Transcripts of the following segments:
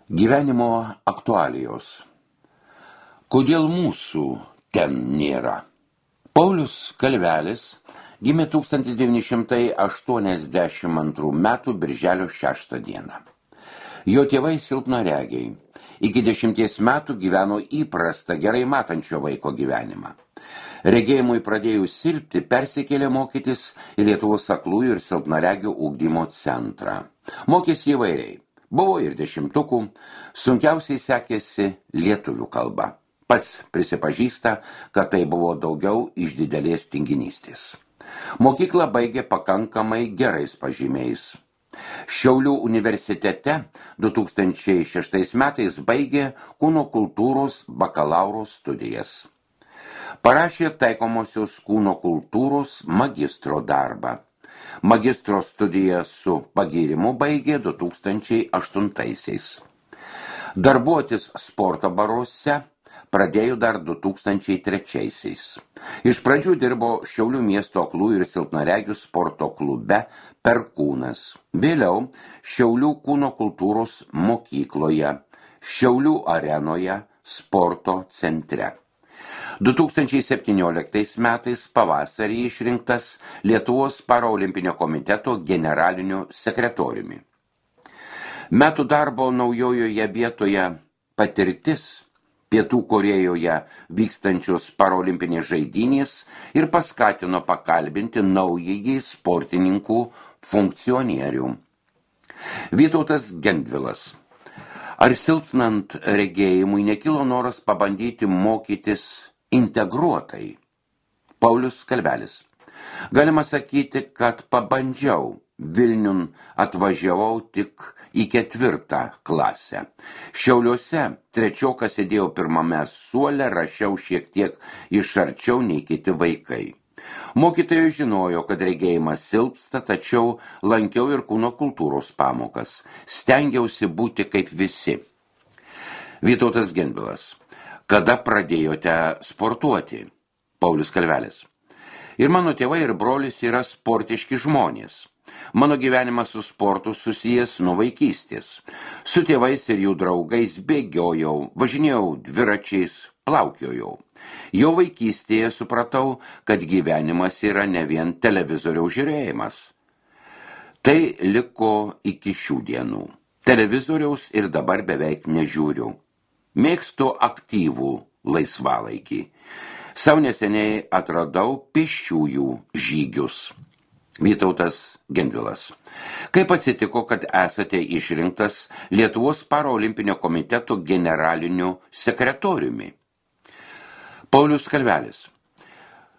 Gyvenimo aktualijos. Kodėl mūsų ten nėra? Paulius Kalvelis gimė 1982 metų birželio 6 dieną. Jo tėvai silpnaregiai. Iki 10 metų gyveno įprastą, gerai matančio vaiko gyvenimą. Regėjimui pradėjus silpti, persikėlė mokytis į Lietuvos aklųjų ir silpnaregių ugdymo centrą. Mokėsi įvairiai. Buvo ir 10-ukų, sunkiausiai sekėsi lietuvių kalba. Pats prisipažįsta, kad tai buvo daugiau iš didelės tinginystės. Mokyklą baigė pakankamai gerais pažymiais. Šiaulių universitete 2006 metais baigė kūno kultūros bakalauro studijas. Parašė taikomosios kūno kultūros magistro darbą. Magistro studiją su pagyrimu baigė 2008. Darbuotis sporto baruose pradėjo dar 2003. Iš pradžių dirbo Šiaulių miesto aklųjų ir silpnaregių sporto klube Perkūnas. Vėliau Šiaulių kūno kultūros mokykloje, Šiaulių arenoje, sporto centre. 2017 metais pavasarį išrinktas Lietuvos paraolimpinio komiteto generaliniu sekretoriumi. Metų darbo naujojoje vietoje patirtis Pietų Korėjoje vykstančios paraolimpinės žaidynės ir paskatino pakalbinti naująjį sportininkų funkcionierių. Vytautas Gendvilas. Ar silpnant regėjimui nekilo noras pabandyti mokytis integruotai? Paulius Kalvelis. Galima sakyti, kad pabandžiau. Vilniun atvažiavau tik į 4 klasę. Šiauliuose trečiokas sėdėjau pirmame suole, rašiau šiek tiek iš arčiau nei kiti vaikai. Mokytojai žinojo, kad regėjimas silpsta, tačiau lankiau ir kūno kultūros pamokas. Stengiausi būti kaip visi. Vytautas Gendvilas. Kada pradėjote sportuoti? Paulius Kalvelis. Ir mano tėvai ir brolis yra sportiški žmonės. Mano gyvenimas su sportu susijęs nuo vaikystės. Su tėvais ir jų draugais bėgiojau, važinėjau dviračiais, plaukiojau. Jau vaikystėje supratau, kad gyvenimas yra ne vien televizoriaus žiūrėjimas. Tai liko iki šių dienų. Televizoriaus ir dabar beveik nežiūriu. Mėgstu aktyvų laisvalaikį. Sau neseniai atradau pėsčiųjų žygius. Vytautas Gendvilas. Kaip atsitiko, kad esate išrinktas Lietuvos paraolimpinio komiteto generaliniu sekretoriumi? Paulius Kalvelis.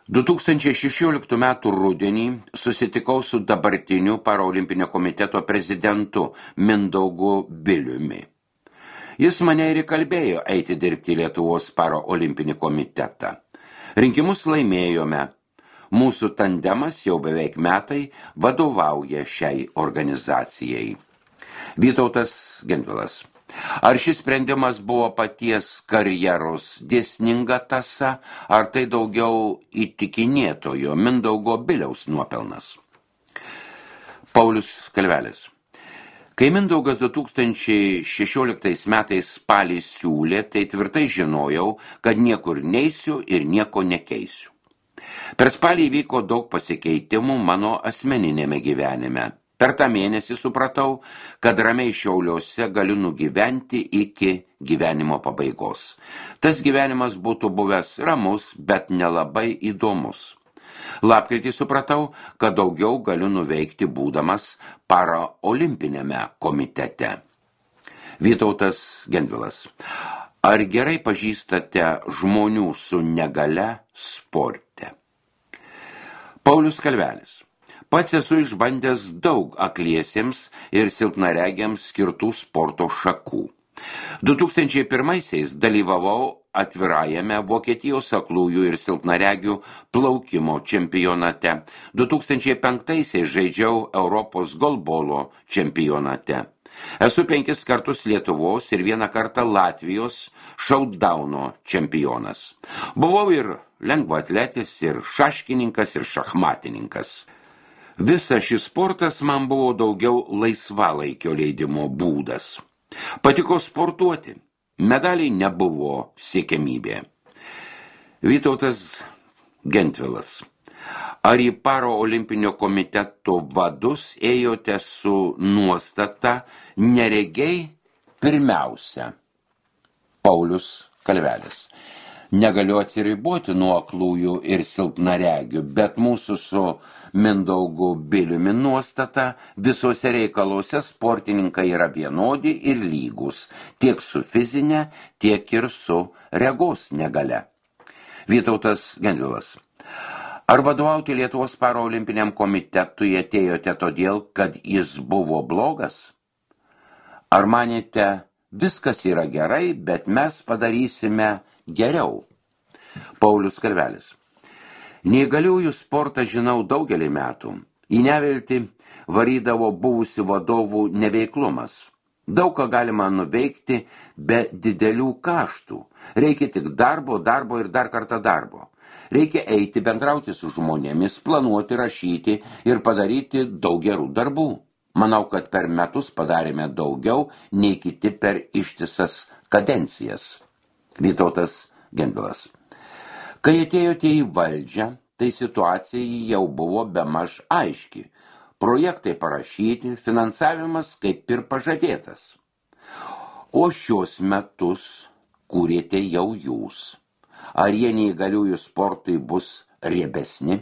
2016 metų rudenį susitikau su dabartiniu paraolimpinio komiteto prezidentu Mindaugu Biliumi. Jis mane ir įkalbėjo eiti dirbti Lietuvos paraolimpinį komitetą. Rinkimus laimėjome. Mūsų tandemas jau beveik metai vadovauja šiai organizacijai. Vytautas Gendvilas. Ar šis sprendimas buvo paties karjeros dėsninga tąsa, ar tai daugiau įtikinėtojo Mindaugo Biliaus nuopelnas? Paulius Kalvelis. Kai Mindaugas 2016 metais spalį siūlė, tai tvirtai žinojau, kad niekur neisiu ir nieko nekeisiu. Per spalį įvyko daug pasikeitimų mano asmeninėme gyvenime. Per tą mėnesį supratau, kad ramiai Šiauliuose galiu nugyventi iki gyvenimo pabaigos. Tas gyvenimas būtų buvęs ramus, bet nelabai įdomus. Lapkritį supratau, kad daugiau galiu nuveikti būdamas paraolimpinėme komitete. Vytautas Gendvilas. Ar gerai pažįstate žmonių su negalia sporte? Paulius Kalvelis. Pats esu išbandęs daug akliesiems ir silpnaregiams skirtų sporto šakų. 2001 dalyvavau atvirajame Vokietijos aklųjų ir silpnaregių plaukimo čempionate. 2005 žaidžiau Europos golbolo čempionate. Esu 5 kartus Lietuvos ir 1 kartą Latvijos šautdauno čempionas. Buvau ir lengvaatletis, ir šaškininkas, ir šachmatininkas. Visas šis sportas man buvo daugiau laisvalaikio leidimo būdas. Patiko sportuoti. Medaliai nebuvo siekiamybė. Vytautas Gentvilas. Ar į Paraolimpinio komiteto vadus ėjote su nuostata neregiai pirmiausia? Paulius Kalvelis. Negaliu atsiriboti nuo aklųjų ir silpnaregių, bet mūsų su Mindaugu Biliumi nuostata visuose reikaluose sportininkai yra vienodi ir lygus, tiek su fizinė, tiek ir su regos negale. Vytautas Gentvilas. Ar vadovauti Lietuvos Paraolimpiniam komitetui atėjote todėl, kad jis buvo blogas? Ar manėte, viskas yra gerai, bet mes padarysime geriau? Paulius Kalvelis. Neįgaliųjų sportą žinau daugelį metų. Į neviltį varydavo buvusių vadovų neveiklumas. Daug ką galima nuveikti be didelių kaštų. Reikia tik darbo ir dar kartą darbo. Reikia eiti, bendrauti su žmonėmis, planuoti, rašyti ir padaryti daug gerų darbų. Manau, kad per metus padarėme daugiau nei kiti per ištisas kadencijas. Vytautas Gentvilas. Kai atėjote į valdžią, tai situacija jau buvo bemaž aiški. Projektai parašyti, finansavimas kaip ir pažadėtas. O šios metus kūrėte jau jūs. Ar jie neįgaliųjų sportui bus riebesni?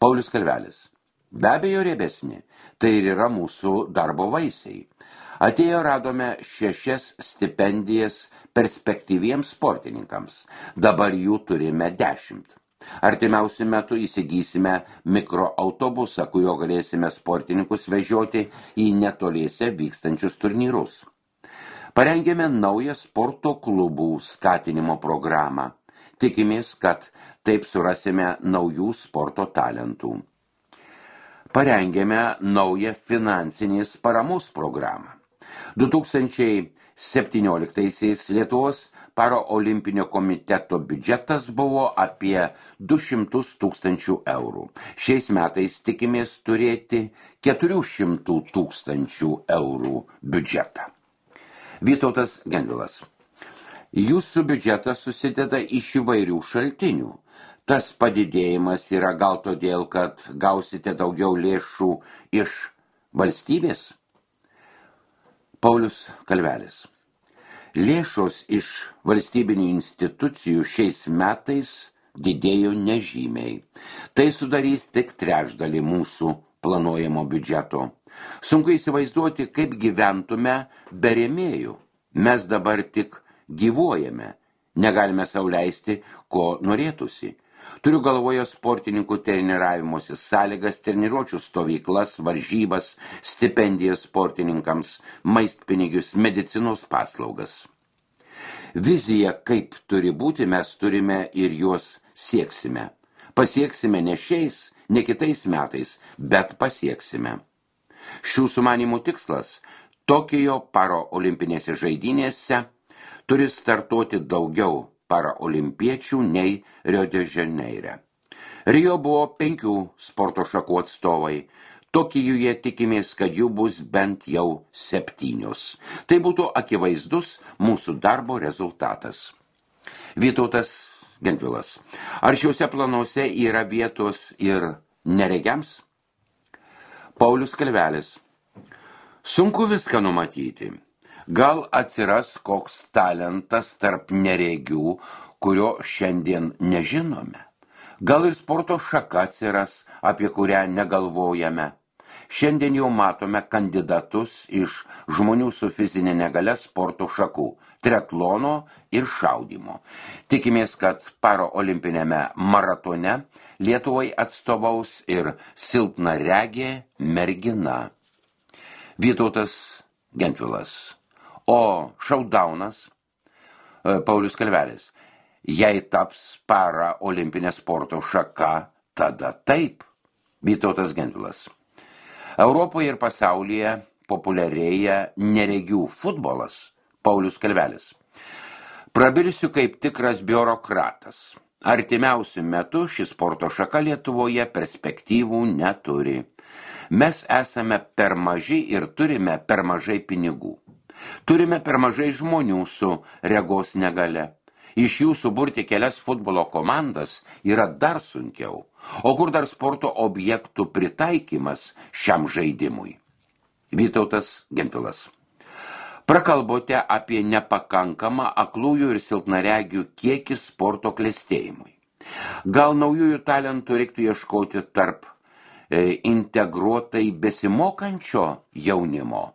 Paulius Kalvelis. Be abejo riebesni. Tai ir yra mūsų darbo vaisiai. Atėjo radome 6 stipendijas perspektyviems sportininkams. Dabar jų turime 10. Artimiausiu metu įsigysime mikroautobusą, kurio galėsime sportininkus vežioti į netoliese vykstančius turnyrus. Parengėme naują sporto klubų skatinimo programą. Tikimės, kad taip surasime naujų sporto talentų. Parengėme naują finansinės paramos programą. 2017 Lietuvos Paraolimpinio komiteto biudžetas buvo apie 200 000 eurų. Šiais metais tikimės turėti 400 000 eurų biudžetą. Vytautas Gentvilas. Jūsų biudžetas susideda iš įvairių šaltinių. Tas padidėjimas yra gal todėl, kad gausite daugiau lėšų iš valstybės? Paulius Kalvelis. Lėšos iš valstybinių institucijų šiais metais didėjo nežymiai. Tai sudarys tik trečdalį mūsų planuojamo biudžeto. Sunku įsivaizduoti, kaip gyventume be rėmėjų. Mes dabar tik gyvuojame. Negalime sau leisti, ko norėtųsi. Turiu galvoje sportininkų treniravimosi sąlygas, treniruočių stovyklas, varžybas, stipendijas sportininkams, maistpinigius, medicinos paslaugas. Viziją, kaip turi būti, mes turime ir juos sieksime. Pasieksime ne šiais, ne kitais metais, bet pasieksime. Šių sumanymų tikslas – Tokijo paraolimpinėse žaidynėse turi startuoti daugiau paraolimpiečių nei Rio de Janeire. Rio buvo 5 sporto šakų atstovai. Tokijuje tikimės, kad jų bus bent jau 7. Tai būtų akivaizdus mūsų darbo rezultatas. Vytautas Gentvilas. Ar šiuose planuose yra vietos ir neregiams? Paulius Kalvelis. Sunku viską numatyti. Gal atsiras koks talentas tarp neregių, kurio šiandien nežinome. Gal ir sporto šaka atsiras, apie kurią negalvojame. Šiandien jau matome kandidatus iš žmonių su fizinė negalia sporto šakų – triatlono ir šaudymo. Tikimės, kad paraolimpinėme maratone Lietuvai atstovaus ir silpnaregė mergina. Vytautas Gentvilas. O šaudaunas, Paulius Kalvelis, jei taps paraolimpinė sporto šaka, tada taip. Vytautas Gentvilas. Europoje ir pasaulyje populiarėja neregių futbolas. Paulius Kalvelis. Prabilsiu kaip tikras biurokratas. Artimiausiu metu ši sporto šaka Lietuvoje perspektyvų neturi. Mes esame per maži ir turime per mažai pinigų. Turime per mažai žmonių su regos negale. Iš jų suburti kelias futbolo komandas yra dar sunkiau. O kur dar sporto objektų pritaikymas šiam žaidimui? Vytautas Gentvilas. Prakalbote apie nepakankamą aklųjų ir silpnaregių kiekį sporto klestėjimui. Gal naujųjų talentų reiktų ieškoti tarp integruotai besimokančio jaunimo?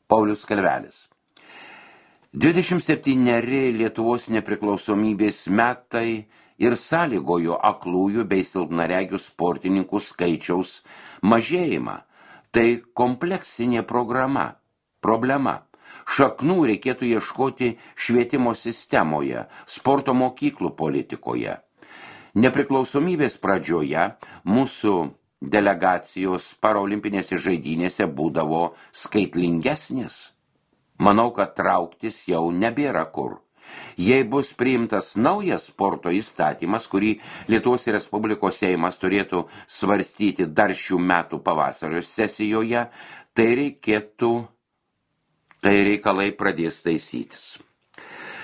Paulius Kalvelis. 27 Lietuvos nepriklausomybės metai ir sąlygojo aklųjų bei silpnaregių sportininkų skaičiaus mažėjimą. Tai kompleksinė problema. Šaknų reikėtų ieškoti švietimo sistemoje, sporto mokyklų politikoje. Nepriklausomybės pradžioje mūsų delegacijos paraolimpinėse žaidynėse būdavo skaitlingesnės. Manau, kad trauktis jau nebėra kur. Jei bus priimtas naujas sporto įstatymas, kurį Lietuvos Respublikos Seimas turėtų svarstyti dar šių metų pavasario sesijoje, tai reikalai pradės taisytis.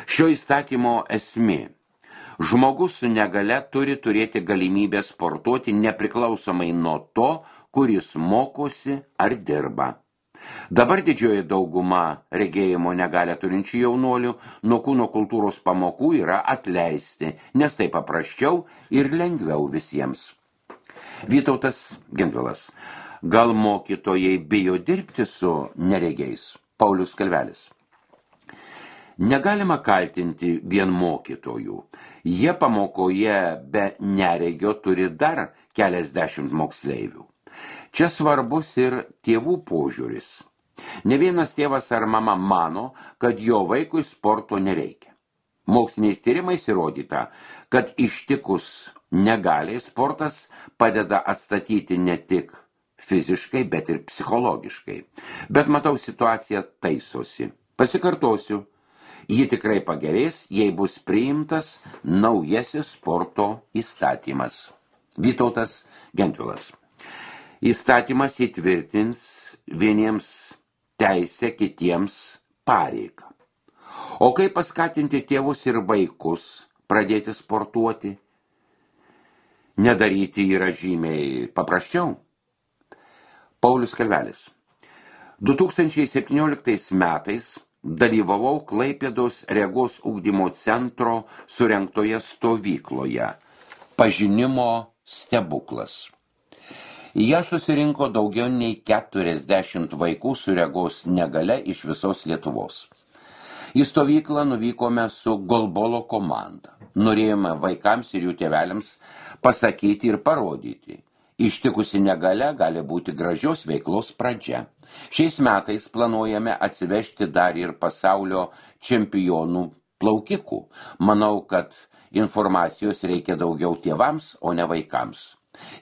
Šio įstatymo esmė. Žmogus su negale turi turėti galimybę sportuoti nepriklausomai nuo to, kuris mokosi ar dirba. Dabar didžioji dauguma regėjimo negalę turinčių jaunuolių nuo kūno kultūros pamokų yra atleisti, nes tai paprasčiau ir lengviau visiems. Vytautas Gentvilas. Gal mokytojai bijo dirbti su neregiais? Paulius Kalvelis. Negalima kaltinti vien mokytojų. Jie pamokoje be neregio turi dar keliasdešimt moksleivių. Čia svarbus ir tėvų požiūris. Ne vienas tėvas ar mama mano, kad jo vaikui sporto nereikia. Moksliniais tyrimais įrodyta, kad ištikus negaliai sportas padeda atstatyti ne tik fiziškai, bet ir psichologiškai. Bet matau, situacija taisosi. Pasikartosiu, ji tikrai pagerės, jei bus priimtas naujasis sporto įstatymas. Vytautas Gentvilas. Įstatymas įtvirtins vieniems teisę, kitiems pareigą. O kaip paskatinti tėvus ir vaikus pradėti sportuoti? Nedaryti yra žymiai paprasčiau. Paulius Kalvelis. 2017 metais dalyvavau Klaipėdos regos ugdymo centro surengtoje stovykloje Pažinimo stebuklas. Į ją susirinko daugiau nei 40 vaikų su regos negale iš visos Lietuvos. Į stovyklą nuvykome su golbolo komanda. Norėjome vaikams ir jų tėveliams pasakyti ir parodyti. Ištikusi negale gali būti gražios veiklos pradžia. Šiais metais planuojame atsivežti dar ir pasaulio čempionų plaukikų. Manau, kad informacijos reikia daugiau tėvams, o ne vaikams.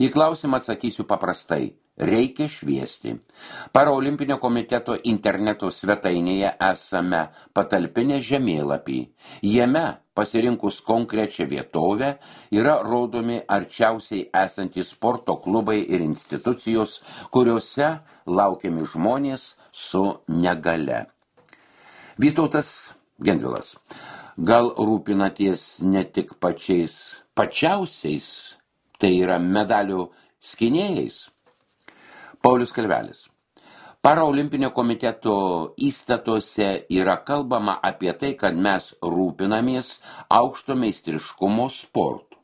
Į klausimą atsakysiu paprastai. Reikia šviesti. Paraolimpinio komiteto interneto svetainėje esame patalpinę žemėlapį. Jame, pasirinkus konkrečią vietovę, yra rodomi arčiausiai esantys sporto klubai ir institucijos, kuriuose laukiami žmonės su negale. Vytautas Gentvilas. Gal rūpinaties ne tik pačiausiais, tai yra medalių skynėjais? Paulius Kalvelis. Paraolimpinio komiteto įstatuose yra kalbama apie tai, kad mes rūpinamės aukšto meistriškumo sportu.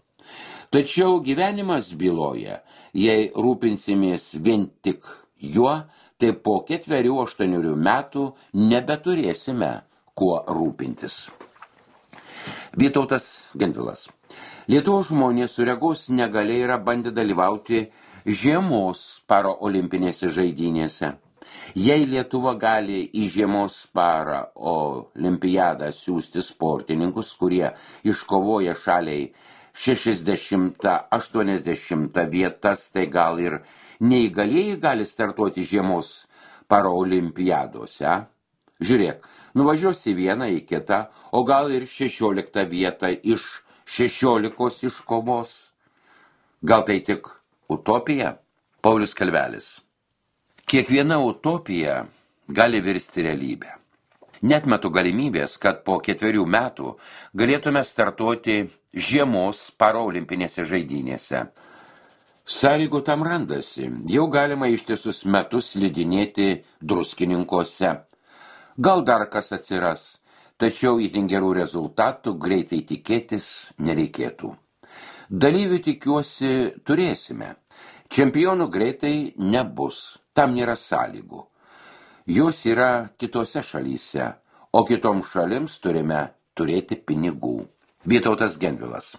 Tačiau gyvenimas byloja, jei rūpinsimės vien tik juo, tai po 4-8 metų nebeturėsime kuo rūpintis. Vytautas Gentvilas. Lietuvos žmonės su regos negalia yra bandę dalyvauti žiemos paraolimpinėse žaidynėse. Jei Lietuva gali į žiemos paraolimpiadą siųsti sportininkus, kurie iškovoja šaliai 60-80 vietas, tai gal ir neįgalieji gali startuoti žiemos paraolimpiadose. Žiūrėk, nuvažiuosi vieną į kitą, o gal ir 16 vietą iš 16 iškovos. Gal tai tik utopija? Paulius Kalvelis. Kiekviena utopija gali virsti realybę. Netmetu galimybės, kad po 4 metų galėtume startuoti žiemos paraolimpinėse žaidynėse. Sąlygų tam randasi, jau galima ištisus metus slidinėti Druskininkuose. Gal dar kas atsiras, tačiau itin gerų rezultatų greitai tikėtis nereikėtų. Dalyvių tikiuosi turėsime. Čempionų greitai nebus, tam nėra sąlygų. Jos yra kitose šalyse, o kitoms šalims turime turėti pinigų. Vytautas Gendvilas.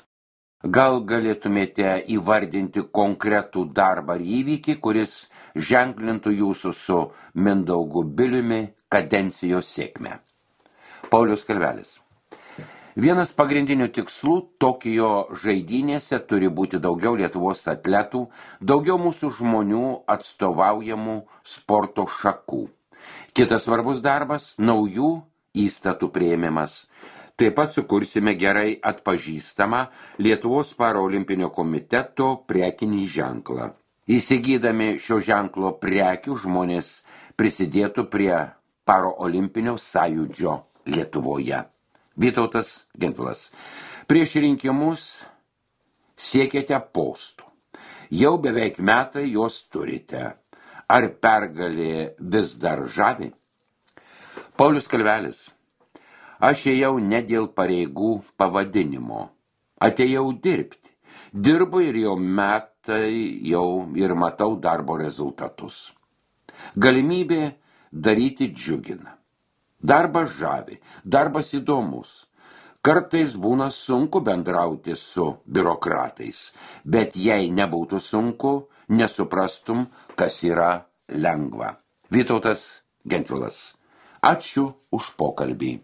Gal galėtumėte įvardinti konkretų darbą ar įvykį, kuris ženklintų jūsų su Mindaugu Biliumi kadencijos sėkmę? Paulius Kalvelis. Vienas pagrindinių tikslų Tokijo žaidynėse turi būti daugiau Lietuvos atletų, daugiau mūsų žmonių atstovaujamų sporto šakų. Kitas svarbus darbas – naujų įstatų priėmimas. Taip pat sukursime gerai atpažįstamą Lietuvos paraolimpinio komiteto prekinį ženklą. Įsigydami šio ženklo prekių žmonės prisidėtų prie paraolimpinio sąjūdžio Lietuvoje. Vytautas Gendvilas. Prieš rinkimus siekėte postų. Jau beveik metai jos turite. Ar pergalė vis dar žavi? Paulius Kalvelis. Aš ėjau ne dėl pareigų pavadinimo. Atėjau dirbti. Dirbu ir jau metai ir matau darbo rezultatus. Galimybė daryti džiugina. Darbas žavi, darbas įdomus. Kartais būna sunku bendrauti su biurokratais, bet jei nebūtų sunku, nesuprastum, kas yra lengva. Vytautas Gendvilas. Ačiū už pokalbį.